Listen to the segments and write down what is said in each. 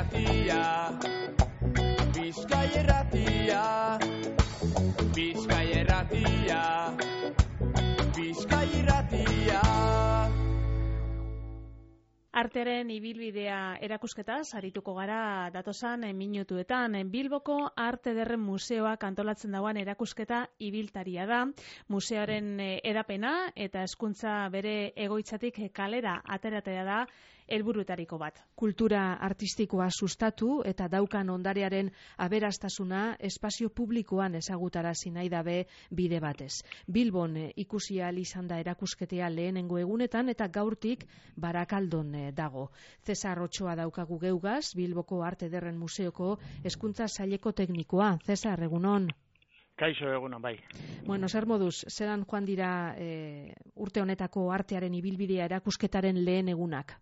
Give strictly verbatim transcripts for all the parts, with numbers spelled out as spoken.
irratia, Bizkai irratia, Bizkai irratia, Bizkai irratia. Artearen ibilbidea erakusketaz arituko gara datosan minutuetan. Bilboko Arte Ederren Museoak antolatzen dauan erakusketa ibiltaria da. Museoaren edapena eta hezkuntza bere egoitzatik kalera ateratzea da helburuetariko bat. Kultura artistikoa sustatu eta daukan ondarearen aberastasuna espazio publikoan ezagutarazi nahi dabe bide batez. Bilbon ikusi ahal izan da erakusketea lehenengo egunetan eta gaurtik Barakaldon dago. Cesar Otxoa daukagu geugaz, Bilboko Arte Ederren Museoko hezkuntza saileko teknikoa. Cesar, egunon. Kaixo, egunon, bai. Bueno, zer moduz, zelan joan dira e, urte honetako artearen ibilbidea erakusketaren lehen egunak?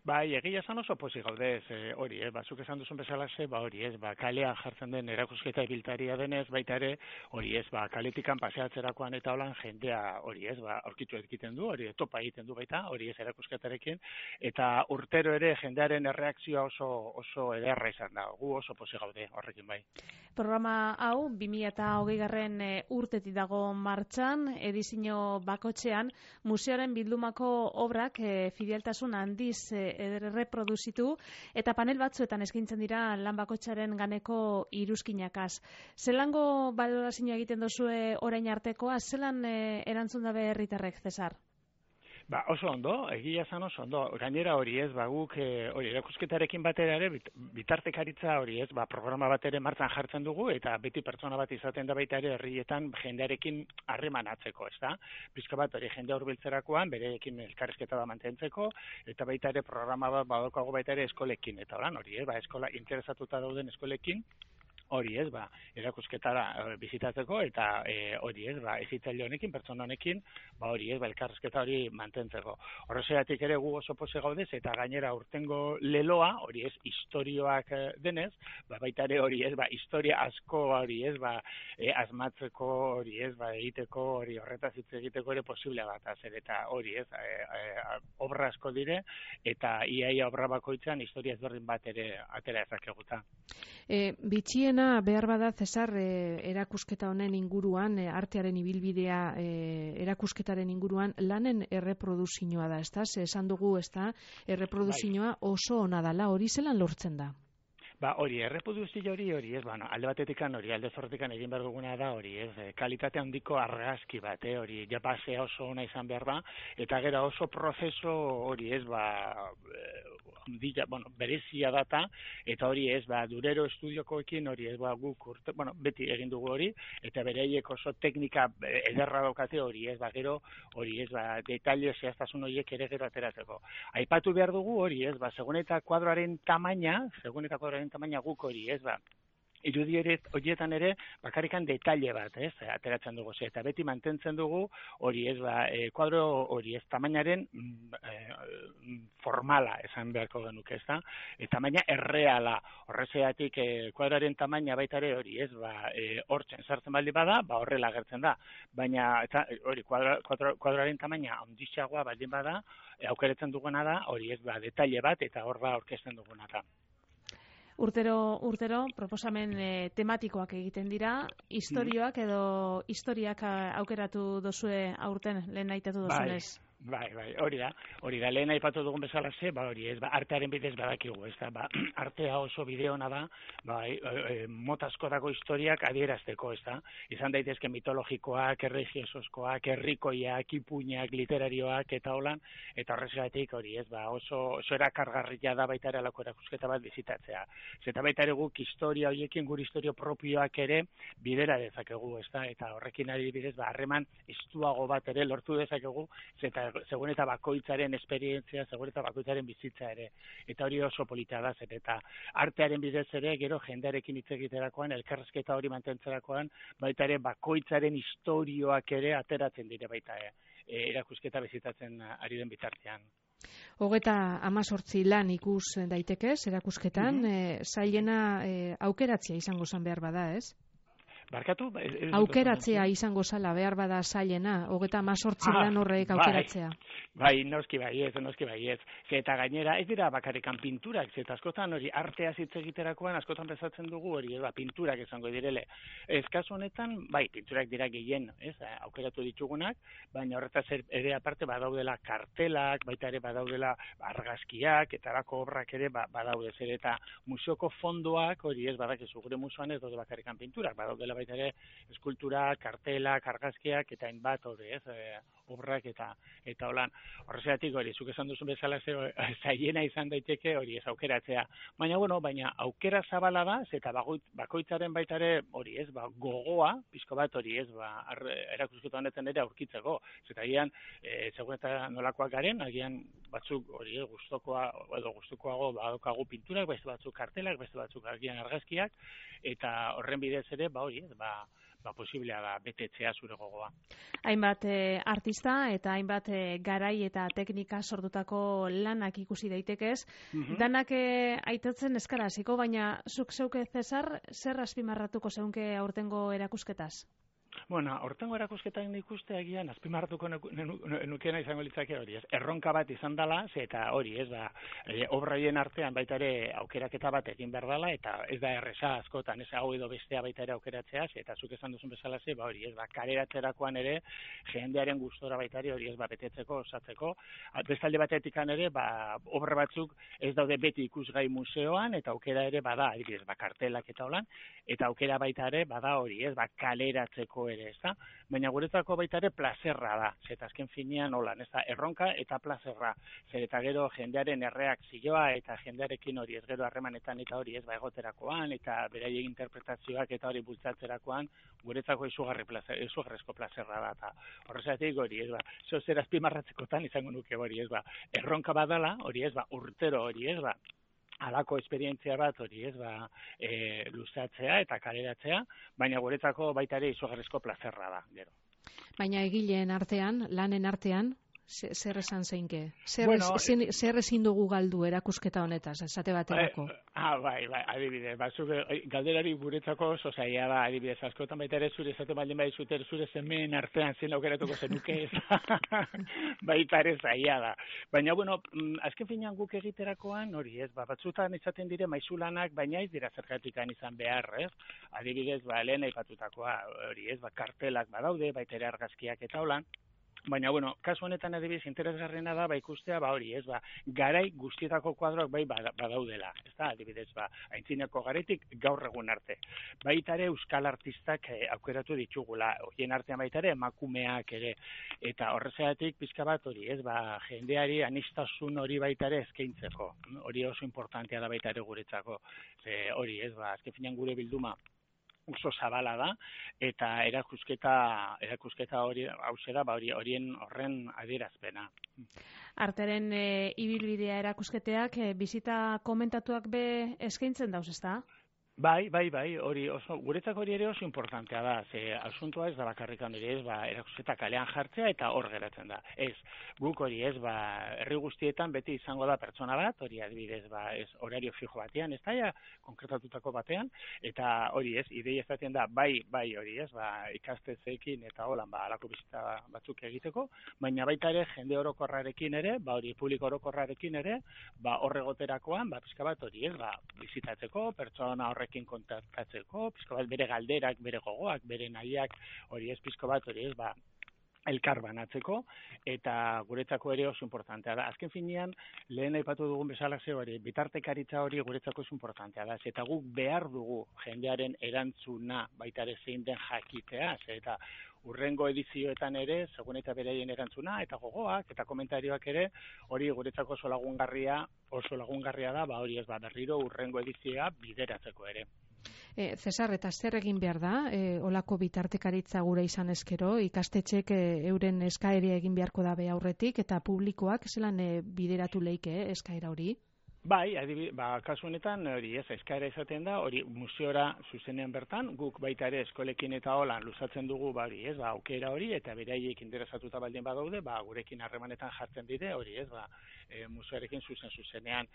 Bai, egia esan oso pozik gaude, ez, hori, eh, bazuk esan duzun bezalaxe, ba hori, ez, ba, kalean jartzen den erakusketa ibiltaria denez, baita ere, hori, ez, ba, kaletikan paseatzerakoan eta holan jendea, hori, ez, ba, aurkitu egiten du, hori, topa egiten du baita, hori, ez, erakusketarekin, eta urtero ere jendearen erreakzioa oso oso ederra izan da, gu oso pozik gaude horrekin bai. Programa hau, bi mila hogeigarren urtetik dago martxan, edizio bakotxean, museoaren bildumako obrak e, fideltasun handiz e, erreproduzitu eta panel batzuetan eskaintzen dira lan bakotxaren ganeko iruzkinakaz. Zelango balorazioa egiten duzue orain artekoa, zelan e, erantzun dabe herritarrek, Cesar? Ba, oso ondo, egia esan oso ondo. Gainera hori ez, ba, guk e, hori erakusketarekin batera ere, bit, bitartekaritza hori ez, ba, programa bat ere martzan jartzen dugu, eta beti pertsona bat izaten da baita ere herrietan jendearekin harremanatzeko, ez da? Bizka bat hori jendea hurbiltzerakoan, bereekin elkarrizketa da mantentzeko, eta baita ere programa bat badaukago baita ere eskolekin, eta horan hori ez, ba, eskola interesatuta dauden eskolekin, hori ez, ba, erakusketara bizitatzeko eta e, hori ez, ba, ezitzaile honekin, pertsona honekin, ba, hori ez, ba, elkarrizketa hori mantentzeko. Horrezeatik ere gu oso poze gaudez eta gainera urtengo leloa, hori ez, istorioak denez, ba, baita ere hori ez, ba, historia asko hori ez, ba, e, asmatzeko hori ez, ba, egiteko, hori horretaz hitz egiteko ere posible bat, azer, eta hori ez, e, e, obra asko dire, eta iaia obra bakoitzan historia ezberdin bat ere atera ezakeguta. E, bitxien behar bada, Cesar, eh, erakusketa honen inguruan, eh, artearen ibilbidea eh, erakusketaren inguruan, lanen erreproduzioa da, ez da? Esan dugu, ez da, erreproduzioa oso ona dala, hori zelan lortzen da? Ba, hori, erreproduzio hori, hori, ez, bueno, alde batetikan hori, alde zortikan egin behar duguna da, hori, ez, kalitate handiko argazki bat, eh, hori, japasea oso ona izan behar da, eta gero oso prozeso, hori, ez, ba, dira, bueno, berezia data, eta hori, ez, ba, Durero estudiokoekin, hori, ez, ba, guk urte, bueno, beti egin dugu hori, eta bereiek oso teknika ederra daukate, hori, ez, ba, gero, hori, ez, ba, detaile zehaztasun horiek ere gero ateratzeko. Aipatu behar dugu, hori, ez, ba, segun eta kuadroaren tamaina, segun eta kuadroaren tamaina guk hori, ez, ba, irudi horietan ere bakarrikan detaile bat, ez, ateratzen dugu, ze, eta beti mantentzen dugu hori ez, ba, e, kuadro hori ez, tamainaren e, formala esan beharko genuke, ez da, e, tamaina erreala, horrezeatik e, kuadroaren tamaina baita ere hori ez, ba, e, hortzen sartzen baldi bada, ba, horrela agertzen da, baina, eta, hori, kuadro, kuadro, kuadroaren tamaina ondixagoa baldin bada, e, aukeretzen duguna da, hori ez, ba, detaile bat, eta hor da aurkezten duguna da. Urtero, urtero, proposamen e, tematikoak egiten dira, historioak edo historiak aukeratu dozue aurten lehen aitatu dozunez. Bai. Bai, bai, hori da, hori da, lehen aipatu dugun bezala ze, ba, hori ez, ba, artearen bidez badakigu, ez da, ba, artea oso bideona da, ba, e, e, motazko dago historiak adierazteko, ez da, izan daitezke mitologikoak, erregiosozkoak, herrikoiak, ipuinak, literarioak, eta holan, eta horrezgatik hori ez, ba, oso, oso erakargarria da baita ere alako erakusketa bat bizitatzea. Zeta baita ere guk historia horiekin, gure historio propioak ere bidera dezakegu, ez da, eta horrekin ari bidez, ba, harreman estuago bat ere lortu dezakegu, zeta segun eta bakoitzaren esperientzia, segun eta bakoitzaren bizitza ere. Eta hori oso polita da, zer, eta artearen bidez ere, gero jendearekin hitz egiterakoan, elkarrizketa hori mantentzerakoan, baita ere bakoitzaren historioak ere ateratzen dire baita e, erakusketa bizitatzen ari den bitartean. Hogeta amazortzi lan ikus daitekez, erakusketan, mm-hmm. e, zailena e, aukeratzea izango zan behar bada, ez? Barkatu? Aukeratzea izango zala, behar bada zailena, hogeta mazortzi ah, lan horrek aukeratzea. Bai, bai, noski bai ez, noski bai ez. Eta gainera, ez dira bakarrikan pinturak, eta askotan hori artea hitz egiterakoan, askotan bezatzen dugu hori, ba, pinturak izango direle. Ez kasu honetan, bai, pinturak dira gehien, ez, aukeratu ditugunak, baina horretaz ere aparte badaudela kartelak, baita ere badaudela argazkiak, eta erako obrak ere badaude zer, eta museoko fondoak, hori ez badakizu gure museoan ez daude bakarrikan pinturak, badaudela baita ere eskulturak, kartelak, argazkiak, eta hainbat hori ez, e, obrak eta eta holan. Horregatik hori, zuk esan duzun bezala ze zailena izan daiteke hori ez aukeratzea. Baina bueno, baina aukera zabala da, eta bakoitzaren baita ere hori ez, ba, gogoa, pizko bat hori ez, ba, erakusketa honetan ere aurkitzeko. Eta agian, e, segun eta nolakoak garen, agian batzuk hori ez, gustokoa edo gustukoago badokagu pinturak, beste batzuk kartelak, beste batzuk agian argazkiak, eta horren bidez ere, ba hori ez, ba, ba posiblea da betetzea zure gogoa. Hainbat e, artista eta hainbat e, garai eta teknika sortutako lanak ikusi daitekez, mm-hmm. danak e, aitatzen eskara hasiko, baina zuk zeuke Cesar, zer azpimarratuko zeunke aurtengo erakusketaz? Bueno, hortengo erakusketak ikuste agian azpimarratuko nukena izango litzake hori, ez? Erronka bat izan dela, eta hori, ez da, e, obraien artean baita ere aukeraketa bat egin behar dela, eta ez da erresa askotan, ez hau edo bestea baita ere aukeratzea, eta zuk esan duzun bezala ze, ba hori, ez ba, kaleratzerakoan ere, jendearen gustora baita ere hori, ez ba, betetzeko, osatzeko, bestalde batetikan ere, ba, obra batzuk ez daude beti ikusgai museoan, eta aukera ere bada, adibidez, ba, kartelak eta holan, eta aukera baita ere bada hori, ez ba, kaleratzeko ere, ez da? Baina guretzako baita ere plazerra da, eta azken finean holan, ez da, erronka eta plazerra, zer eta gero jendearen erreakzioa eta jendearekin hori ez gero harremanetan eta hori ez ba egoterakoan eta beraiek interpretazioak eta hori bultzatzerakoan guretzako izugarri plazer, izugarrezko plazerra da, eta horrezatik hori ez ba, zeo zer azpimarratzekotan izango nuke hori ez ba, erronka badala hori ez ba, urtero hori ez ba, halako esperientzia bat hori ez ba, e, luzatzea eta kaleratzea, baina guretzako baita ere izugarrizko plazerra da, gero. Baina egileen artean, lanen artean, zer esan zeinke? Zer, bueno, ezin, zer ezin dugu galdu erakusketa honetaz, esate baterako? Eh, ah, bai, bai, adibidez, batzuk galderari guretzako oso zaila da, adibidez, askotan baita ere zure esate baldin bai zute zure zemeen artean zen aukeratuko zenuke ez, baita ere zaila da. Baina, bueno, azken finean guk egiterakoan, hori ez, ba, batzutan izaten dire maizulanak, baina ez dira zergatikan izan behar, ez? Adibidez, ba, lehen aipatutakoa, hori ez, ba, kartelak badaude, baita ere argazkiak eta holan. Baina, bueno, kasu honetan adibidez interesgarriena da, ba, ikustea, ba, hori, ez, ba, garai guztietako kuadroak bai badaudela, ez da, adibidez, ba, aintzinako garaitik gaur egun arte. Baita ere euskal artistak eh, aukeratu ditugula, horien artean baita ere emakumeak ere, eta horrezatik pizka bat hori, ez, ba, jendeari anistasun hori baita ere eskaintzeko, hori oso importantea da baita ere guretzako, e, hori, ez, ba, azken finean gure bilduma, oso zabala da, eta erakusketa erakusketa hori hausera ba hori horien horren adierazpena. Arteren e, ibilbidea erakusketeak e, bizita komentatuak be eskaintzen dauz, ezta? Bai, bai, bai, hori oso, guretzako hori ere oso importantea da, ze asuntua ez da bakarrikan hori ez, ba, erakusketa kalean jartzea eta hor geratzen da. Ez, guk hori ez, ba, herri guztietan beti izango da pertsona bat, hori adibidez, ba, ez horario fijo batean, ez da, ja, konkretatutako batean, eta hori ez, ideia ezaten da, bai, bai, hori ez, ba, ikastetzeekin eta holan, ba, alako bizita batzuk egiteko, baina baita ere, jende orokorrarekin ere, ba, hori publiko orokorrarekin ere, ba, horregoterakoan, ba, pizka bat hori ez, ba, bizitatzeko, pertsona horre kontaktatzeko, pizko bat bere galderak, bere gogoak, bere nahiak, hori ez pizko bat, hori ez, ba, elkar banatzeko, eta guretzako ere oso importantea da. Azken finean, lehen aipatu dugun bezala ze hori, bitartekaritza hori guretzako oso importantea da, eta guk behar dugu jendearen erantzuna baita ere zein den jakitea, eta urrengo edizioetan ere, segun eta beraien erantzuna, eta gogoak, eta komentarioak ere, hori guretzako oso lagungarria, oso lagungarria da, ba hori ez ba berriro urrengo edizioa bideratzeko ere. E, Cesar, eta zer egin behar da, e, olako bitartekaritza gure izan ezkero, ikastetxek e, euren eskaeria egin beharko dabe aurretik, eta publikoak zelan e, bideratu leike e, eskaera hori? Bai, adibi, ba, kasu honetan, hori ez, eskaera izaten da, hori museora zuzenean bertan, guk baita ere eskolekin eta holan luzatzen dugu, ba, hori ez, ba, aukera hori, eta beraiek interesatuta baldin badaude, ba, gurekin harremanetan jartzen dire, hori ez, ba, e, museoarekin zuzen zuzenean,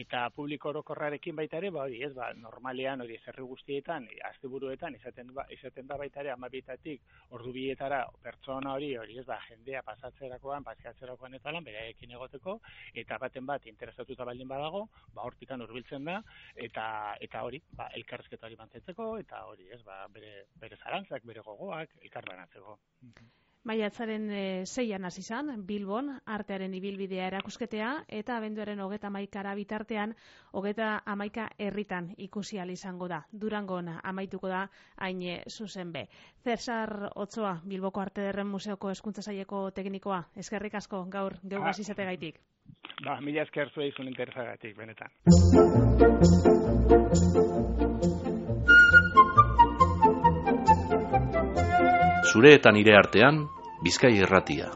eta publiko orokorrarekin baita ere, ba, hori ez, ba, normalean, hori ez, herri guztietan, asteburuetan, izaten, ba, izaten da baita ere, amabitatik, ordu bietara, pertsona hori, hori ez, ba, jendea pasatzerakoan, paseatzerakoan eta lan, beraiekin egoteko, eta baten bat interesatuta baldin badago, ba hortikan hurbiltzen da eta eta hori, ba elkarrizketa hori mantentzeko eta hori, ez, ba bere bere zalantzak, bere gogoak elkarbanatzeko. Maiatzaren e, seian hasi izan Bilbon artearen ibilbidea erakusketea eta abenduaren hogeita hamaikara bitartean hogeita hamaika herritan ikusi ahal izango da. Durangon amaituko da hain zuzen be. Cesar Otsoa, Bilboko Arte Ederren Museoko Hezkuntza Saileko teknikoa, eskerrik asko gaur geugaz izategaitik. Ba, mila esker zuei zuen interesagatik, benetan. Zure eta nire artean, Bizkai Irratia.